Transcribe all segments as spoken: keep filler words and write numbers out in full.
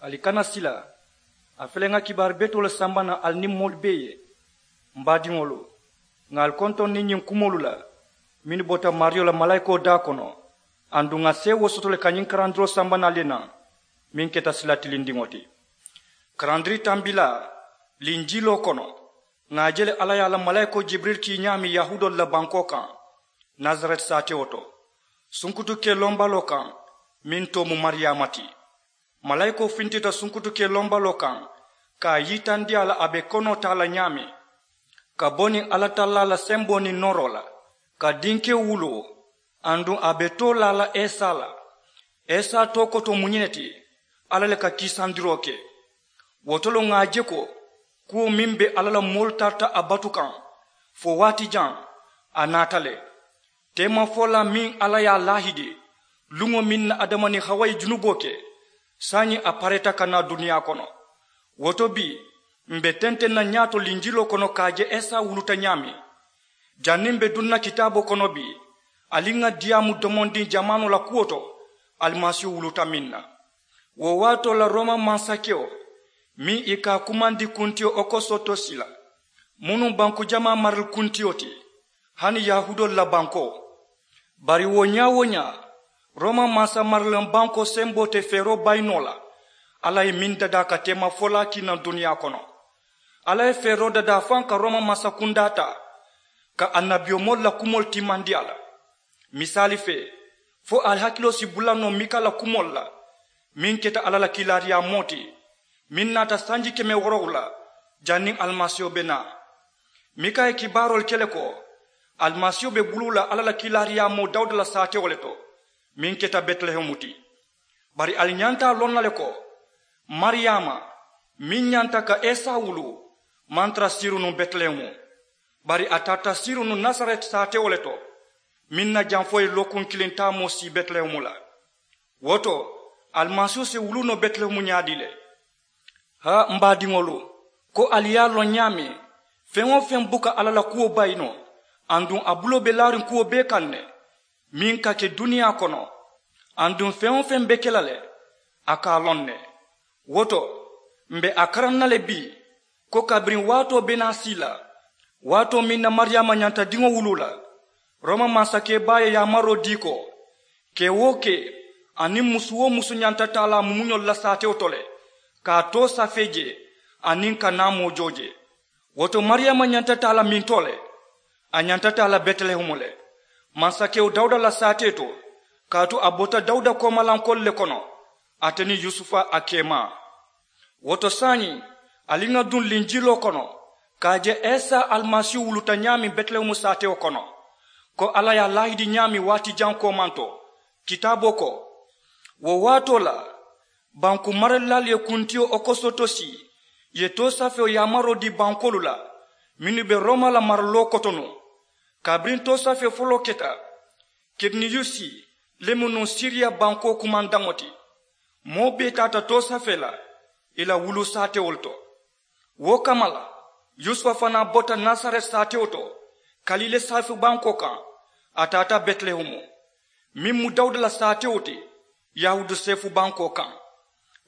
Ali kana sila. A fele ŋa kibaaru betoo le samba na ali niŋ moolu bee ye. M baadiŋolu, ŋa ali kontoŋ niŋ ñiŋ kumoolu la mennu bota maariyo la malaayikoo daa kono. Aduŋ ŋa seewoo soto le ka ñiŋ karandiroo samba na ali ye naŋ, meŋ keta sila tilindiŋo ti. Karandiri tambilaa linjiiloo kono, ŋa a je le alla ye a la malaayikoo jibirili kii ñaameŋ yahuudoolu la bankoo kaŋ, nasareti saatewo to, sunkutu kee lombaloo kaŋ, meŋ too mu mariyaama ti. Malaayikoo fintita sunkutu kee lombaloo kaŋ, ka a yitandi a la a be konoo taa la ñaameŋ, ka bo niŋ alla tallaa la semboo niŋ nooroo la, ka dinkewo wuloo, aduŋ a be too laa la esa la. Esa too koto mu ñiŋ ne ti, alla le ka kiisandiroo ke. Wo to le ŋa a je ko kuwo meŋ be alla la moolu tarata a batu kaŋ fo waati jaŋ, a naata le. Teemafolaa meŋ alla ye a laahidi luŋo meŋ na adama niŋ hawa ye junuboo ke, saayiŋ a pareeta ka naa duniyaa kono. Wo to bii, m̀ be tenteŋ na ñaato linjiloo kono ka a je esa wuluta ñaameŋ. Janniŋ m̀ be duŋ na kitaaboo kono bii, ali ŋa diyaamu domondiŋ jamaanoo la kuwo to, alimasiihu wuluta meŋ na. Wo waatoo la rooma mansakewo meŋ i ka a kumandi kuntiyo okosotosi la, munuŋ banku jamaa marali kuntiyo ti, hani yahuudoolu la bankoo. Bari wo ñaa-wo-ñaa, rooma mansa maralaŋ bankoo semboo te feeroo bayi noo la. Alla ye meŋ dadaa ka teemafolaa kii naŋ duniyaa kono. Alla ye feeroo dadaa faŋ ka rooma mansa kundaa taa, ka annabiyomoolu la kumoolu timmandi a la. Misaali fee, fo ali hakiloo si bula noo mika la kumoolu la, meŋ keta alla la kiilaariyaamoo ti, meŋ naata sanji keme woorowula janniŋ alimasiiho be naa. Mika ye kibaaroolu ke le ko alimasiiho be buluu la alla la kiilaariyaamoo dawuda la saatewo le to, meŋ keta betilehemu ti. Bari ali ñanta a loŋ na le ko mariyaama meŋ ñanta ka esa wuluu maŋ tara siiruŋ nuŋ betilehemu, bari a tarata siiruŋ nuŋ nasareti saatewo le to, meŋ na jaŋ fo ye lookuŋ kiliŋ taamoo sii betilehemu la. Wo to, alimasiiho si wuluu noo betilehemu ñaadii le? Haa m baadiŋolu, ko ali ye a loŋ ñaameŋ, feŋ-wo-feŋ buka alla la kuwo bayi noo, aduŋ a buloo be laariŋ kuwo bee kaŋ ne, meŋ ka ke duniyaa kono, aduŋ feŋ-wo-feŋ be ke la le, a ka a loŋ ne. Wo to, m̀ be a karaŋ na le bii, ko kabiriŋ waatoo be naa sii la, waatoo meŋ na mariyaama ñanta diŋo wuluu la, rooma mansakee baa ye yaamaroo dii ko kee-wo-kee aniŋ musu-wo-musu ñanta taa la a mumuñolu la saatewo to le, ka a too safee jee aniŋ ka naamoo joo jee. Wo to mariyaama ñanta taa la mintoo le? A ñanta taa la betilehemu le, mansakewo dawuda la saatee to, kaatu a bota dawuda koomalankoolu le kono, ate niŋ yusufa a keemaa. Wo to saayiŋ, ali ŋa duŋ linjiloo kono, ka a je esa alimasiihu wuluta ñaameŋ betilehemu saatewo kono, ko alla ye a laahidi ñaameŋ waati jaŋ koomanto. Kitaaboo ko, wo waatoo la, banku maralilaalu ye kuntiyo okosotosi, ì ye toosafewo yaamaroo dii bankoolu la, mennu be rooma la maraloo kotonuŋ. Kabiriŋ toosafee foloo keta, kiriniyusi le mu nuŋ siriya bankoo kumandaŋo ti, moo bee taata toosafee la ì la wuluu saatewolu to. Wo kamma la, yusufa fanaa bota nasareti saatewo to, kaliile seefu bankoo kaŋ, a taata betilehemu, meŋ mu dawuda la saatewo ti, yahuudu seefu bankoo kaŋ.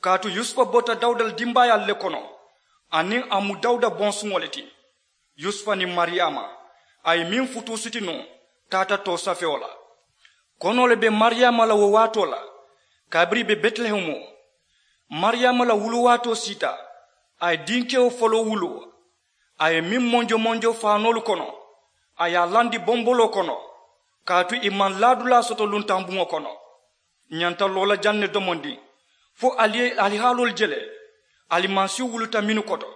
Kaatu yusufa bota dawuda la dimbaayaalu le kono, aniŋ a mu dawuda bonsuŋo le ti. Yusufa niŋ mariyaama, a ye meŋ futuusiti nuŋ, taata toosafewo la. Konoo le be mariyaama la wo waatoo la, kabiriŋ ì be betilehemu. Mariyaama la wuluwaatoo siita, a ye dinkewo foloo wuluu. A ye meŋ monjo monjo faanoolu kono, a ye a landi bomboloo kono, kaatu ì maŋ laadulaa soto luntaŋ buŋo kono. Ǹ ñanta loo la jaŋ ne domondiŋ, fo ali ye alihaaloolu je le, alimasiihu wuluta mennu koto.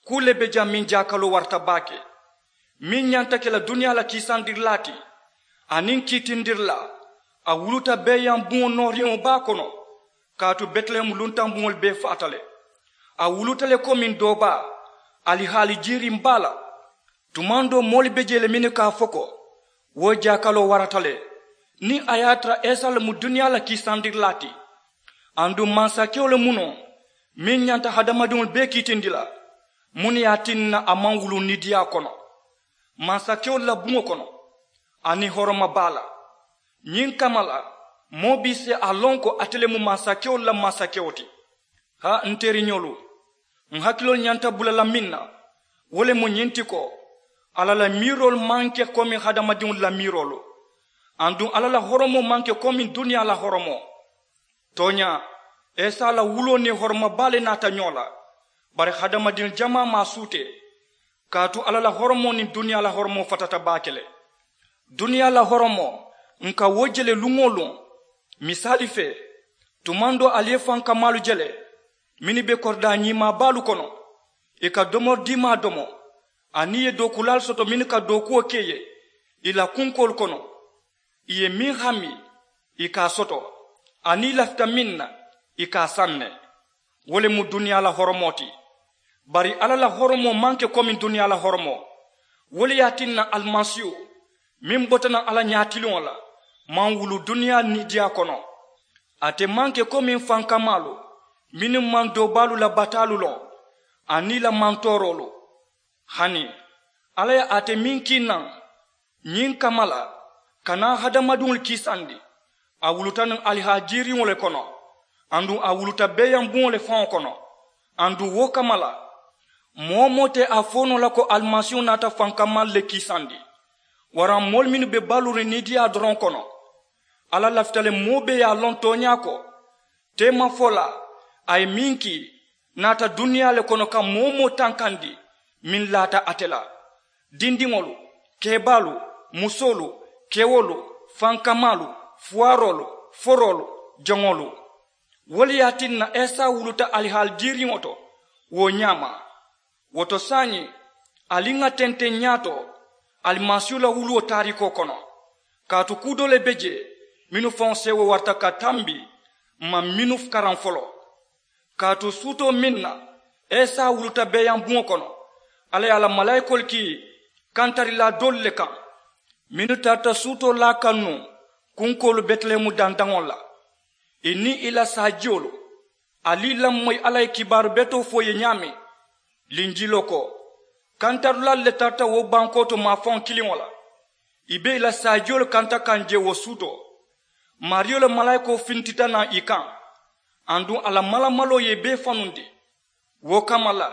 Kuu le be jaŋ meŋ jaakaloo warata baake, meŋ ñanta ke la duniyaa la kiisandirilaa ti, aniŋ kiitindirilaa. A wuluta beeyaŋ buŋo nooriŋo baa kono, kaatu betilehemu luntaŋ buŋolu bee faata le. A wuluta le komiŋ doo baa, alihaali jiiriŋ baa la. Tumaŋ doo moolu be jee le mennu ka a fo ko, wo jaakaloo warata le, niŋ a ye a tara esa le mu duniyaa la kiisandirilaa ti. Aduŋ mansakewo le mu noo, meŋ ñanta hadamadiŋolu bee kiitindi la? Muŋ ne ye a tinna a maŋ wuluu nidiyaa kono mansakewolu la buŋo kono, aniŋ horoma baa la? Ñiŋ kamma la, moo bee si a loŋ ko ate le mu mansakewolu la mansakewo ti. Haa n teriñolu, n hakiloolu ñanta bula la meŋ na, wo le mu ñiŋ ti ko, alla la miiroolu maŋ ke komi hadamadiŋolu la miiroolu. Aduŋ alla la horomoo maŋ ke komi duniyaa la horomoo. Tooñaa, isa la wuloo niŋ horoma baa le naata ñoo la. Bari hadamadiŋ jamaa maŋ a suutee, kaatu alla la horomoo niŋ duniyaa la horomoo fatata baake le. Duniyaa la horomoo, n ka wo je le luŋ-wo-luŋ. Misaali fee, tumaŋ doo ali ye fankamaalu je le, mennu be koridaa ñiimaa baalu kono, ì ka domori diimaa domo, aniŋ ì ye dookuulaalu soto mennu ka dookuwo ke ì ye ì la kunkoolu kono. Ì ye meŋ hami, ì ka a soto, aniŋ ì lafita meŋ na, ì ka a saŋ ne. Wo le mu duniyaa la horomoo ti. Bari alla la horomoo maŋ ke komi duniyaa la horomoo. Wo le ye a tinna alimasiihu, meŋ bota naŋ alla ñaatiliŋo la, maŋ wulu duniyaa niidiyaa kono. Ate maŋ ke komi fankamaalu, mennu maŋ doobaalu la bataalu loŋ, aniŋ ì la mantooroolu. Hani alla ye ate meŋ kii naŋ ñiŋ kamma la, ka naa hadamadiŋolu kiisandi, a wuluta nuŋ alihaajiriŋo le kono, aduŋ a wuluta beeyaŋ buŋo le faŋo kono. Aduŋ wo kamma la, moo-wo-moo te a fo noo la ko alimasiihu naata fankamaalu le kiisandi, waraŋ moolu mennu be baluuriŋ niidiyaa doroŋ kono. Alla lafita le moo bee ye a loŋ tooñaa ko, teemafolaa a ye meŋ kii, naata duniyaa le kono ka moo-wo-moo tankandi meŋ laata ate la. Dindiŋolu, keebaalu, musoolu, kewolu, fankamaalu, fuwaaroolu, foroolu, joŋolu. Wo le ye a tinna isa wuluta alihaajiriŋo to wo ñaama. Wo to saayiŋ, ali ŋà tenteŋ ñaato alimasiihu la wuluwo taariikoo kono. Kaatu kuu doo le be jee, mennu faŋo seewoo warata ka tambi, m maŋ mennu karaŋ foloo. Kaatu suutoo meŋ na isa wuluta beeyaŋ buŋo kono, alla ye a la malaayikoolu kii kantarilaa doolu le kaŋ, mennu tarata suutoo laa kaŋ nuŋ kunkoolu betilehemu dandaŋo la. Ì niŋ ì la saajiyolu, ali ì lamoyi alla ye kibaaru betoo fo ì ye ñaameŋ. Linjiloo ko, kantarilaalu le tarata wo bankoo to maafaŋo kiliŋo la. Ì be ì la saajiyolu kanta kaŋ jee wo suutoo. Maariyo la malaayikoo fintita naŋ ì kaŋ, aduŋ a la malamaloo ye ì bee fanundi. Wo kamma la,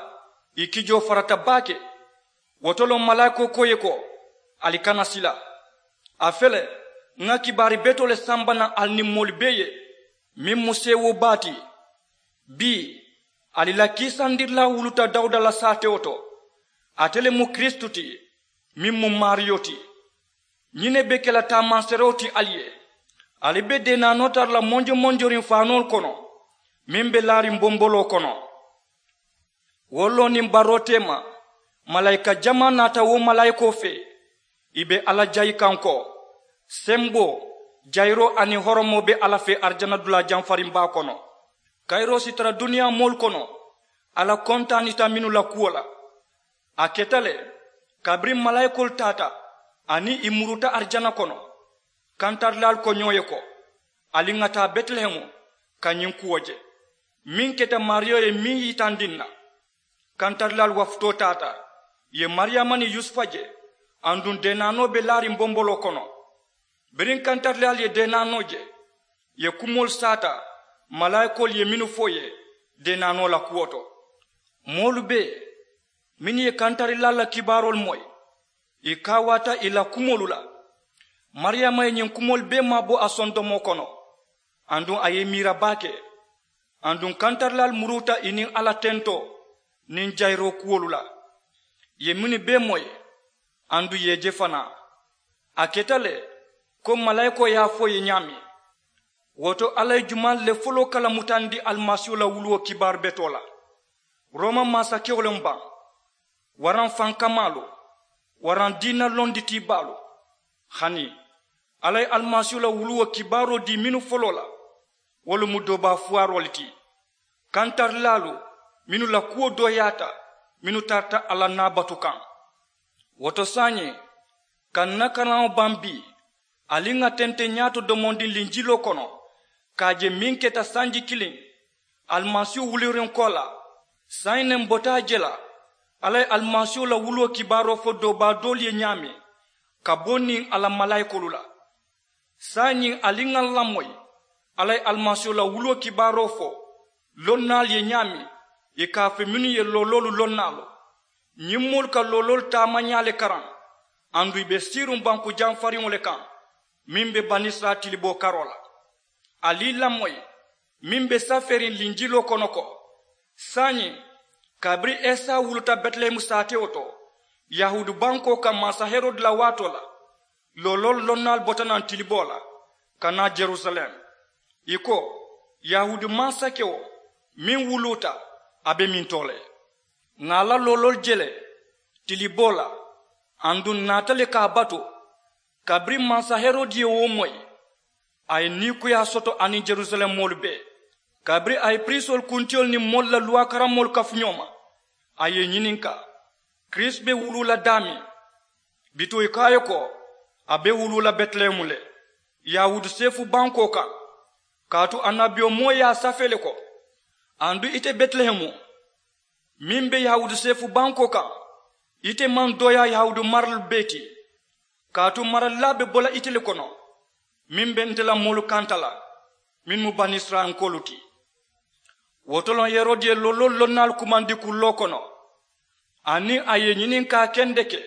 ì kijoo farata baake. Wo to loŋ malaayikoo ko ì ye ko, ali kana sila. A fele, ŋà kibaari betoo le samba naŋ ali niŋ moolu bee ye, meŋ mu seewoo baa ti. Bii, ali la kiisandirilaa wuluta dawuda la saatewo to. Ate le mu kiristu ti, meŋ mu maariyo ti. Ñiŋ ne be ke la taamanseeroo ti ali ye. Ali be deenaanoo tara la monjomonjoriŋ faanoolu kono, meŋ be laariŋ bomboloo kono. Wo loo niŋ baroo teema, malaayika jamaa naata wo malaayikoo fee. Ì be alla jayi kaŋ ko, semboo, jayiroo aniŋ horomoo be alla fee arijana dulaa jamfariŋ baa kono. Kayiroo si tara duniyaa moolu kono, alla kontaanita mennu la kuwo la. A keta le, kabiriŋ malaayikoolu taata aniŋ ì muruuta arijana kono, kantarilaalu ko ñoo ye ko, ali ŋà taa betilehemu ka ñiŋ kuwo je, meŋ keta maariyo ye meŋ yitandi ǹ na. Kantarilaalu wafutoo taata, ì ye mariyaama niŋ yusufa je, aduŋ deenaanoo be laariŋ bomboloo kono. Biriŋ kantarilaalu ye deenaanoo je, ì ye kumoolu saata malaayikoolu ye mennu fo ì ye deenaanoo la kuwo to. Moolu bee mennu ye kantarilaalu la kibaaroolu moyi, ì kaawaata ì la kumoolu la. Mariyaama ye ñiŋ kumoolu bee maabo a sondomoo kono, aduŋ a ye ì miira baake. Aduŋ kantarilaalu muruuta ì niŋ alla tentoo niŋ jayiroo kuwolu la, ì ye mennu bee moyi, aduŋ ì ye ì je fanaa. A keta le, ko malaayikoo ye a fo ì ye ñaameŋ. Wo to alla ye jumaalu le foloo kalamutandi alimasiihu la wuluwo kibaaru betoo la? Rooma maasakewo le mu baŋ, waraŋ fankamaalu, waraŋ diina londitiibaalu? Hani, alla ye alimasiihu la wuluwo kibaaroo dii mennu foloo la, wolu mu doobaa fuwaaroo le ti. Kantarilaalu mennu la kuwo dooyaata, mennu tarata alla naabatu kaŋ. Wo to saayiŋ, ka ǹ na karaŋo baŋ bii, ali ŋà tenteŋ ñaato domondiŋ linjiloo kono, ka a je meŋ keta sanji kiliŋ alimasiihu wuliriŋ koolaa. Saayiŋ ne m bota a je la, alla ye alimasiihu la wuluwo kibaaroo fo doobaa doolu ye ñaameŋ, ka bo niŋ a la malaayikoolu la. Saayiŋ ali ŋà l lamoyi, alla ye alimasiihu la wuluwo kibaaroo fo Lonnaalu ye ñaameŋ, ì ka a fo mennu ye looloolu lonnaalu. Ñiŋ moolu ka looloolu taamañaa le karaŋ, aduŋ ì be siiriŋ banku jamfariŋo le kaŋ, meŋ be banisirayila tiliboo karoo la. Ali ì lamoyi, meŋ be safeeriŋ linjiloo kono ko, saayiŋ, kabiriŋ esa wuluta betilehemu saatewo to, yahuudu bankoo kaŋ mansa herodi la waatoo la, looloolu lonnaalu bota naŋ tiliboo la ka naa jerusalem. Ì ko, yahuudu mansakewo meŋ wuluuta, a be mintoo le. Ŋà a la looloolu je le tiliboo la, aduŋ ǹ naata le ka a batu. Kabiriŋ mansa herodi ye wo moyi, a ye niikuyaa soto aniŋ jerusalem moolu bee. Kabiriŋ a ye piriisoolu kuntiyolu niŋ moolu la luwaa karammoolu kafu ñoo ma, a ye ì ñininkaa, kirisita be wuluu la daameŋ? Bituŋ ì ko a ye ko, a be wuluu la betilehemu le, yahuudu seefu bankoo kaŋ. Kaatu annabiyomoo ye a safee le ko, aduŋ ite betilehemu, meŋ be yahuudu seefu bankoo kaŋ, ite maŋ dooyaa yahuudu maralu bee ti. Kaatu maralilaa be bo la ite le kono, meŋ be nte la moolu kanta la, mennu mu banisirayilankoolu ti. Wo to loŋ herodi ye looloolu lonnaalu kumandi kulloo kono, aniŋ a ye ì ñininkaa kendeke,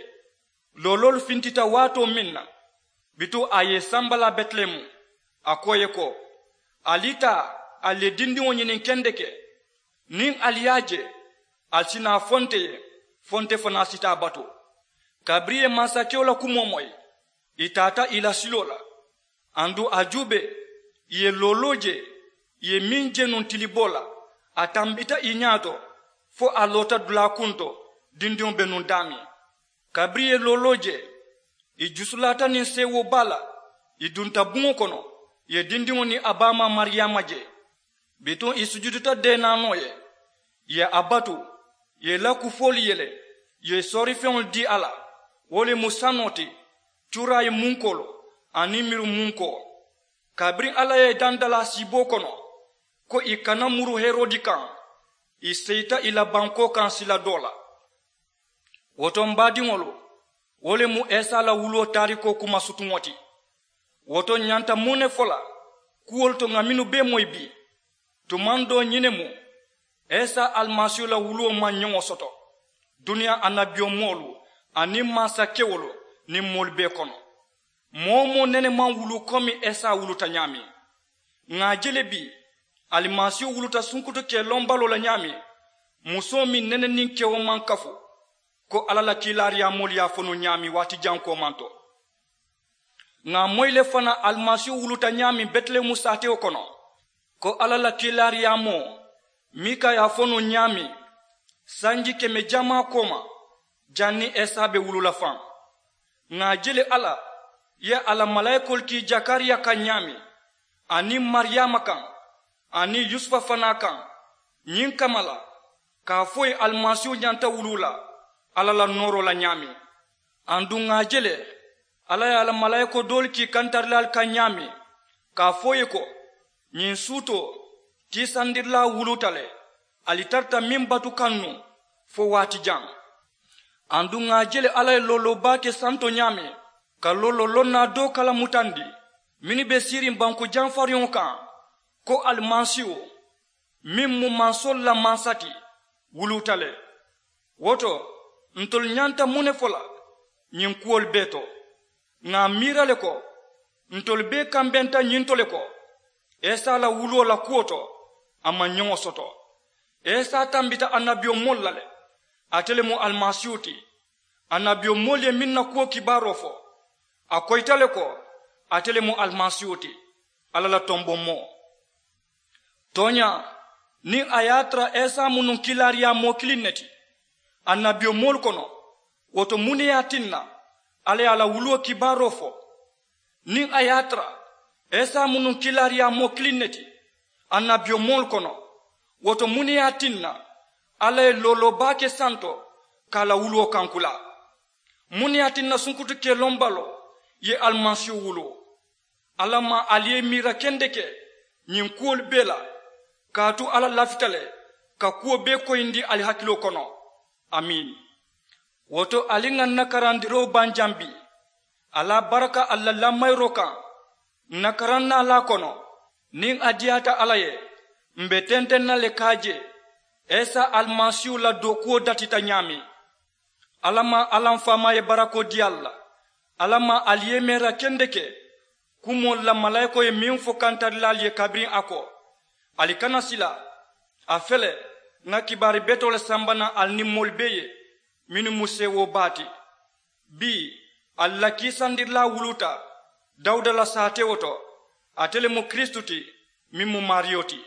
looloolu fintita waatoo meŋ na, bituŋ a ye ì sambalaa betilehemu, a ko ì ye ko, ali taa, ali ye dindiŋo ñiniŋ kendeke. Niŋ ali ye a je, ali si naa a fo nte ye, fo nte fanaa si taa a batu. Kabiriŋ ì ye mansakewo la kumoo moyi, ì taata ì la siloo la. Aduŋ a juubee, ì ye looloo je, ì ye meŋ je nuŋ tiliboo la, a tambita ì ñaa to, fo a loota dulaa kuŋ to, dindiŋo be nuŋ daameŋ. Kabiriŋ ì ye looloo je, ì jusulaata niŋ seewoo baa la, ì dunta buŋo kono, ì ye dindiŋo niŋ a baamaa mariyaama je. Bituŋ ì sujudita deenaanoo ye, ì ye a batu, ì ye ì la kufoolu yele, ì ye soorifeŋolu dii a la, wo le mu sanoo ti, cuuraayi munkoolu aniŋ miru munkoo. Kabiriŋ alla ye ì danta la a siiboo kono, ko ì kana muru herodi kaŋ, ì seyita ì la bankoo kaŋ sila doo la. Wo to m baadiŋolu, wo le mu esa la wuluwo taarikoo kuma sutuŋo ti. Wo to ǹ ñanta muŋ ne fo la kuwolu to ŋà mennu bee moyi bii? Tumaŋ doo ñiŋ ne mu, esa alimasiihu la wuluwo maŋ ñoŋo soto duniyaa annabiyomoolu aniŋ mansakewolu niŋ moolu bee kono. Moo-wo-moo nene maŋ wuluu komi esa wuluta ñaameŋ. Ŋà a je le bii, alimasiihu wuluta sunkutu kee lombaloo la ñaameŋ, musoo meŋ nene niŋ kewo maŋ kafu, ko alla la kiilaariyaamoolu ye a fo nuŋ ñaameŋ waati jaŋ koomanto. Ŋà a moyi le fanaa alimasiihu wuluta ñaameŋ betilehemu saatewo kono, ko alla la kiilaariyaamoo, miika ye a fo nuŋ ñaameŋ, sanji keme jamaa kooma, janniŋ esa be wuluu la faŋ. Ŋà a je le alla ye a la malaayikoolu kii jakariya kaŋ ñaameŋ, aniŋ mariyaama kaŋ, aniŋ yusufa fanaa kaŋ, ñiŋ kamma la, ka a fo ì ye alimasiihu ñanta wuluu la alla la nooroo la ñaameŋ. Aduŋ ŋà a je le, alla ye a la malaayikoo doolu kii kantarilaalu kaŋ ñaameŋ, ka a fo ì ye ko, ñiŋ suutoo, tiisandirilaa wuluuta le, ali tarata meŋ batu kaŋ nuŋ, fo waati jaŋ. Aduŋ ŋà a je le alla ye looloo baa ke santo ñaameŋ, ka looloo lonnaa doo kalamutandi mennu be siiriŋ banku jamfariŋo kaŋ, ko alimasiihu, meŋ mu mansoolu la mansa ti, wuluuta le. Wo to, ntolu ñanta muŋ ne fo la ñiŋ kuwolu bee to? Ŋà a miira le ko, ntolu bee kambenta ñiŋ to le ko, esa la wuluwo la kuwo to, a maŋ ñoŋo soto. Esa tambita annabiyomoolu la le, ate le mu alimasiihu ti. Annabiyomoolu ye meŋ na kuwo kibaaroo fo, a koyita le ko, ate le mu alimasiihu ti, alla la tomboŋ moo. Tooñaa, niŋ a ye a tara esa mu nuŋ kiilaariyaamoo kiliŋ ne ti annabiyomoolu kono, wo to muŋ ne ye a tinna alla ye a la wuluwo kibaaroo fo? Niŋ a ye a tara esa mu nuŋ kiilaariyaamoo kiliŋ ne ti annabiyomoolu kono, wo to muŋ ne ye a tinna alla ye looloo baa ke santo ka a la wuluwo kankulaa? Muŋ ne ye a tinna sunkutu kelombaloo ye alimasiihu wuluu? Alla maŋ ali ye miira kendeke ñiŋ kuwolu bee la, kaatu alla lafita le ka kuwo bee koyindi ali hakiloo kono. Amiin. Wo to ali ŋà ǹ na karandiroo baŋ jaŋ bii, a la baraka ali la lamayiroo kaŋ. Ǹ na karaŋ naalaa kono, niŋ a diyaata alla ye, M be tenteŋ na le ka a je isa alimasiihu la dookuwo datita ñaameŋ. Alla maŋ alla m faamaa ye barakoo dii ali la. Alla maŋ ali yemeera kendeke kumoolu la malaayikoo ye meŋ fo kantarilaalu ye kabiriŋ a ko, ali kana sila. A fele, ŋa kibaari betoo le samba naŋ ali niŋ moolu bee ye mennu mu seewoo baa ti. Bii ali la kiisandirilaa wuluuta dawuda la saatewo to. Ate le mu kiristu ti, meŋ mu maariyo ti.